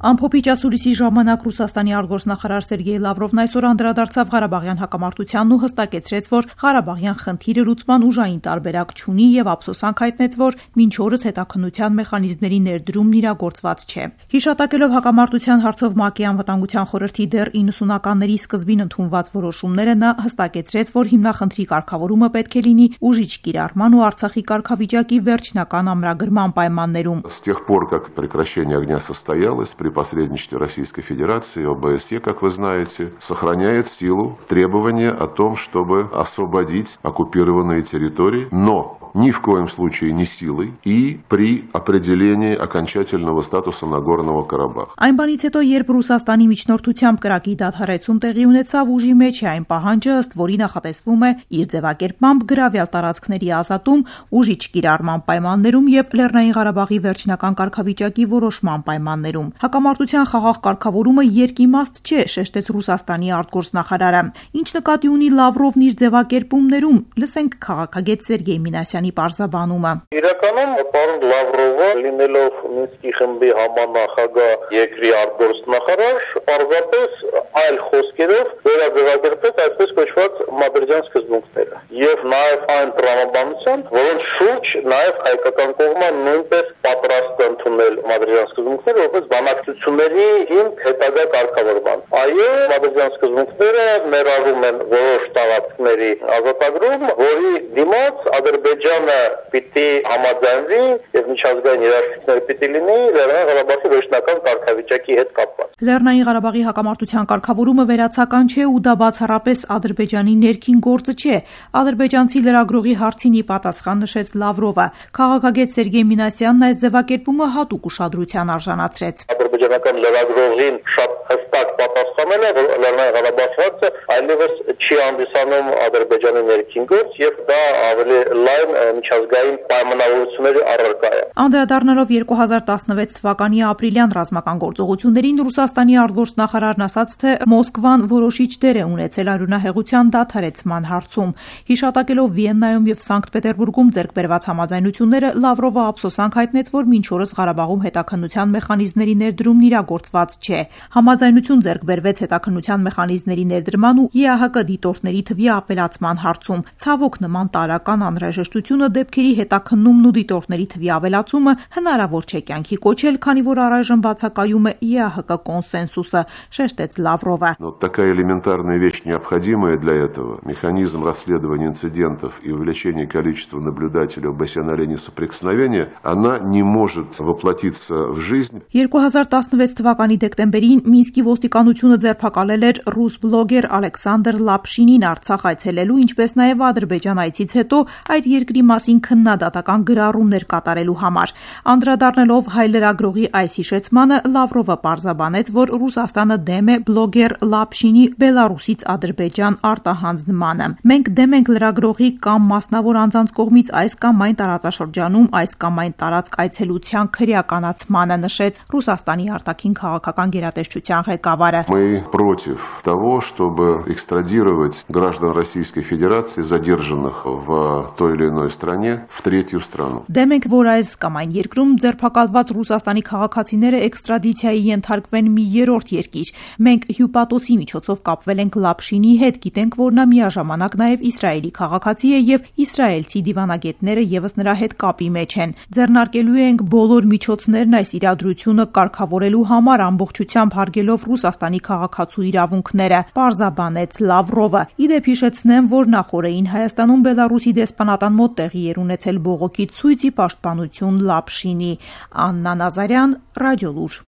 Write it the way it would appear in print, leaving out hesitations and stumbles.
Ամփոփիչ ասուլիսի ժամանակ Ռուսաստանի արտգործնախարար Սերգեյ Լավրովն այսօր անդրադարձավ Ղարաբաղյան հակամարտությանն ու հստակեցրեց, որ Ղարաբաղյան խնդիրը լուծման ուժային տարբերակ չունի եւ ափսոսանք հայտնեց, որ մինչ օրս հետաքննության մեխանիզմների ներդրումն իրագործված չէ։ Հիշատակելով հակամարտության հարցով ՄԱԿ-ի անվտանգության խորհրդի դեռ 90-ականների սկզբին ընդունված որոշումները, նա հստակեցրեց, որ հիմնախնդրի կարգավորումը պետք է լինի ուժիչ կիրառման ու Արցախի կարգավիճակի վերջնական ամրագրման պայմաններում։ С тех пор, как прекращение огня состоялось при посредничестве Российской Федерации, ОБСЕ, как вы знаете, сохраняет силу требования о том, чтобы освободить оккупированные территории, но ни в коем случае не силой и при определении окончательного статуса Нагорного Карабаха. Այն բանից հետո, երբ Ռուսաստանի միջնորդությամբ կրակի դադարեցում տեղի ունեցավ, ուժի մեջ է այն պահանջը, ըստ որի նախատեսվում է իր ձևակերպմամբ գրավյալ տարածքների ազատում, ուժիչ կիրառման պայմաններում եւ Լեռնային Ղարաբաղի վերջնական կարգավիճակի որոշման պայմաններում։ Հակամարտության խաղաղ կարգավորումը երկիմաստ չէ, շեշտեց Ռուսաստանի արտգործնախարարը։ Ինչ նկատի ունի Լավրովն իր ձևակերպումներում, լսենք քաղաքագետ Սերգեյ Մինասյանի պարզաբանումը։ Իրականում պարոն Լավրովը, լինելով Մինսկի խմբի համանախագահ երկրի արտգործնախարար, պարզապես այլ խոսքերով վերաձևակերպեց այսպես կոչված մադրիդյան սկզբունքները եւ նաեւ այն տրամաբանության, որոնց շուրջ նաեւ հայկական կողմը նույնպես պատրաստ է ընդունել մադրիդյան սկզբունքները որպես բանակցությունների հիմք հետագա կարգավորման։ Այո, մադրիդյան սկզբունքները ներառում են որոշ տարածքների ազատագրում, որի դիմաց Ադրբեջանը պիտի համաձայնվի եւ միջազգային երաշխիքներ պիտի լինի Լեռնային Ղարաբաղի վերջնական կարգավիճակի հետ կապված։ Լեռնային Ղարաբաղի հակամարտության կարգավորումը վերացական չէ ու դա բացառապես Ադրբեջանի ներքին գործը չէ։ Ադրբեջանցի լրագրողի հարցին ի պատասխան նշեց Լավրովը։ Քաղաքագետ Սերգեյ Մինասյանն այս ձևակերպումը հատուկ ուշադրության արժանացրեց։ Ադրբեջանական լրագրողին շատ հստակ պատասխանել է, որ Լեռնային Ղարաբաղի հարցը այլևս չի հանդիսանում Ադրբեջանի ներքին գործ եւ դա ավելի լայն միջազգային պայմանավորությունների առարկա է։ Անդրադառնալով 2016 թվականի ապրիլյան ռազմական գործողություններին Ռուսաստանի արտգործնախարարն ասաց, թե Մոսկվան որոշիչ դեր է ունեցել արյունահեղության դադարեցման հարցում։ Հիշատակելով Վիեննայում եւ Սանկտ Պետերբուրգում ձեռք բերված համաձայնությունները, Լավրովը ափսոսանք հայտնեց, որ մինչ օրս Ղարաբաղում հետաքննության մեխանիզմների ներդրումն իրագործված չէ։ Համաձայնություն ձեռք բերվեց հետաքննության մեխանիզմների ներդրման ու ԵԱՀԿ դիտորդների թվի ավելացման հարցում։ Ցավոք նման տարրական անհրաժեշտությունը դեպքերի հետաքննումն ու դիտորդների թվի ավելացումը հնարավոր չէ կյանքի կոչել, քանի որ առայժմ բացակայում է ԵԱՀԿ կոնսենսուսը, шештեց Лаврова. Но такая элементарная вещь, необходимая для этого, механизм расследования инцидентов и увеличения количества наблюдателей ОБСЕ на линии соприкосновения, она не может воплотиться в жизнь. 2016 թվականի դեկտեմբերին Մինսկի ոստիկանությունը ձերբակալել էր ռուս բլոգեր Ալեքսանդր Լապշինին Արցախ այցելելու, ինչպես նաև Ադրբեջան այցից հետո այդ երկրի մասին քննադատական գրառումներ կատարելու համար։ Անդրադառնալով հայ լրագրողի այս հիշեցմանը, Լավրովը պարզաբանեց, որ Ռուսաստանը դեմ է բլոգեր Լապշինի Բելարուսից Ադրբեջան արտահանձնմանը։ Մենք դեմ ենք լրագրողի կամ մասնավոր անձանց կողմից այս կամ այն տարածաշրջանում այս կամ այն տարածք այցելության քրեականացմանը, նշեց Ռուսաստանի արտաքին քաղաքական գերատեսչության ղեկավարը։ Мы против того, чтобы экстрадировать граждан Российской Федерации, задержанных в той или иной стране, в третью страну. Դեմ ենք, որ այս կամ այն երկրում ձերբակալված Ռուսաստանի քաղաքացիները էքստրադիցիայի ենթարկվեն մի երրորդ երկիր։ Մենք հյուպատոսի միջոցով կապվել ենք Լապշինի հետ, գիտենք, որ նա միաժամանակ նաև Իսրայելի քաղաքացի է եւ իսրայելցի դիվանագետները եւս նրա հետ կապի մեջ են։ Ձեռնարկելու ենք բոլոր միջոցներն այս իրադրությունը կարգավորելու համար, ամբողջությամբ հարգելով Ռուսաստանի քաղաքացու իրավունքները, պարզաբանեց Լավրովը։ Իդեպ հիշեցնեմ, որ նախորդին Հայաստանում Բելարուսի դեսպանատան մոտ տեղի էր ունեցել բողոքի ցույցի պաշտպանություն Լապշինի։ Աննա Նազարյան, Ռադիոլուր։